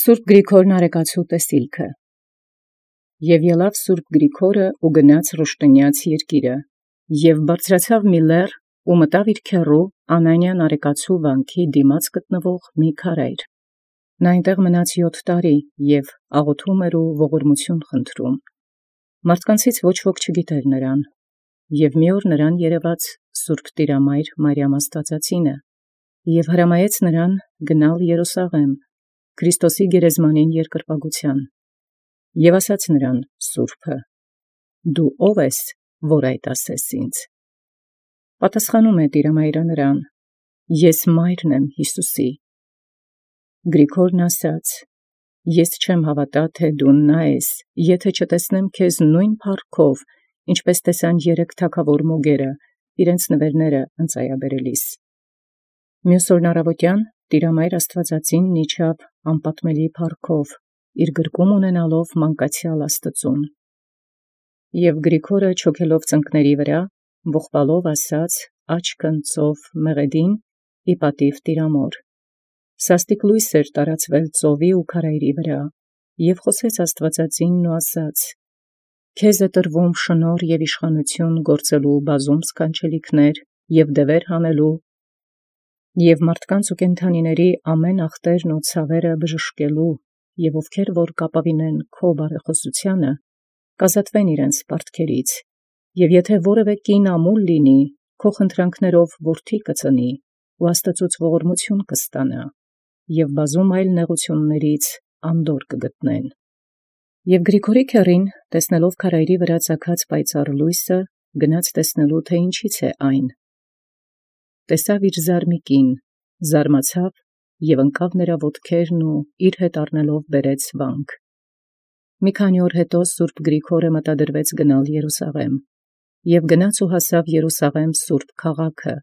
Սուրբ Գրիգորն արեկացու տեսիլքը։ Եւ ելավ Սուրբ Գրիգորը ու գնաց Ռուշտենեաց երկիրը, եւ բարձրացավ մի լեռ ու մտավ իր քեռու Անանիան արեկացու վանքի դիմաց գտնվող մի քարայր։ Նա այնտեղ մնաց 7 տարի եւ աղոթում էր ու ողորմություն խնդրում։ Մարդկանցից ոչ ոք չգիտեր նրան, եւ մի օր նրան երևաց Սուրբ Տիրամայր Մարիամ Աստվածածինը, եւ հրամայեց նրան գնալ Երուսաղեմ Քրիստոսի գերեզմանին երկրպագության։ Եւ ասաց նրան Սուրբը. «Դու ո՞վ ես, որ այդ ասես ինձ»։ Պատասխանում է Տիրամայրը նրան. «Ես մայրն եմ Յիսուսի»։ Գրիգորն ասաց. «Ես չեմ հավատա, թէ դու նա ես, եթէ չտեսնեմ քեզ նույն փառքով, ինչպես տեսան 3 թագավոր մոգերը իրենց նվերները ընծայաբերելիս»։ Մյուս օրն առավոտյան Տիրամայր Աստվածածինն իջավ անպատմելի փառքով, իր գրկում ունենալով մանկացեալ Աստծուն։ Եւ Գրիգորը չոքելով ծնկների վրա, ողբալով ասաց աչքն ծով մեղեդին ի պատիւ Տիրամոր։ Սաստիկ լույս էր տարածվել ծովի ու քարայրի վրա, եւ խոսեց Աստվածածինն ու ասաց. «Քեզ է տրվում շնորհ եւ իշխանություն գործելու բազում սքանչելիքներ եւ դևեր հանելու, եւ մարդկանց ու կենդանիների ամեն ախտերն ու ցավերը բժշկելու, եւ ովքեր որ կապավինեն քո բարեխոսությանը, կազատվեն իրենց պարտքերից, եւ եթէ որևէ կին ամուլ լինի, քո խնդրանքներով որդի կծնի, ու Աստծուց ողորմություն կստանա, եւ բազում այլ նեղություններից անդոր կգտնեն»։ Եւ Գրիգորի քեռին, տեսնելով քարայրի վրա ծագած պայծառ լույսը, գնաց տեսնելու, թէ ինչից է այն։ Տեսավ իր զարմիկին, զարմացավ եւ ընկավ նրա ոտքերն ու իր հետ առնելով բերեց վանք։ Մի քանի օր հետո Սուրբ Գրիգորը մտադրվեց գնալ Երուսաղեմ, եւ գնաց ու հասավ Երուսաղեմ Սուրբ քաղաքը,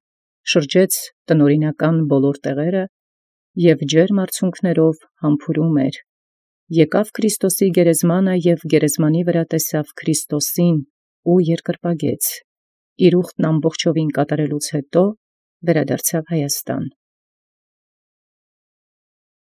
շրջեց տնօրինական բոլոր տեղերը եւ ջերմ արցունքներով համբուրում էր։ Եկավ Քրիստոսի գերեզմանը եւ գերեզմանի վրա տեսավ Քրիստոսին ու երկրպագեց։ Իր ուխտն ամբողջովին կատարելուց հետո վերադարձավ Հայաստան։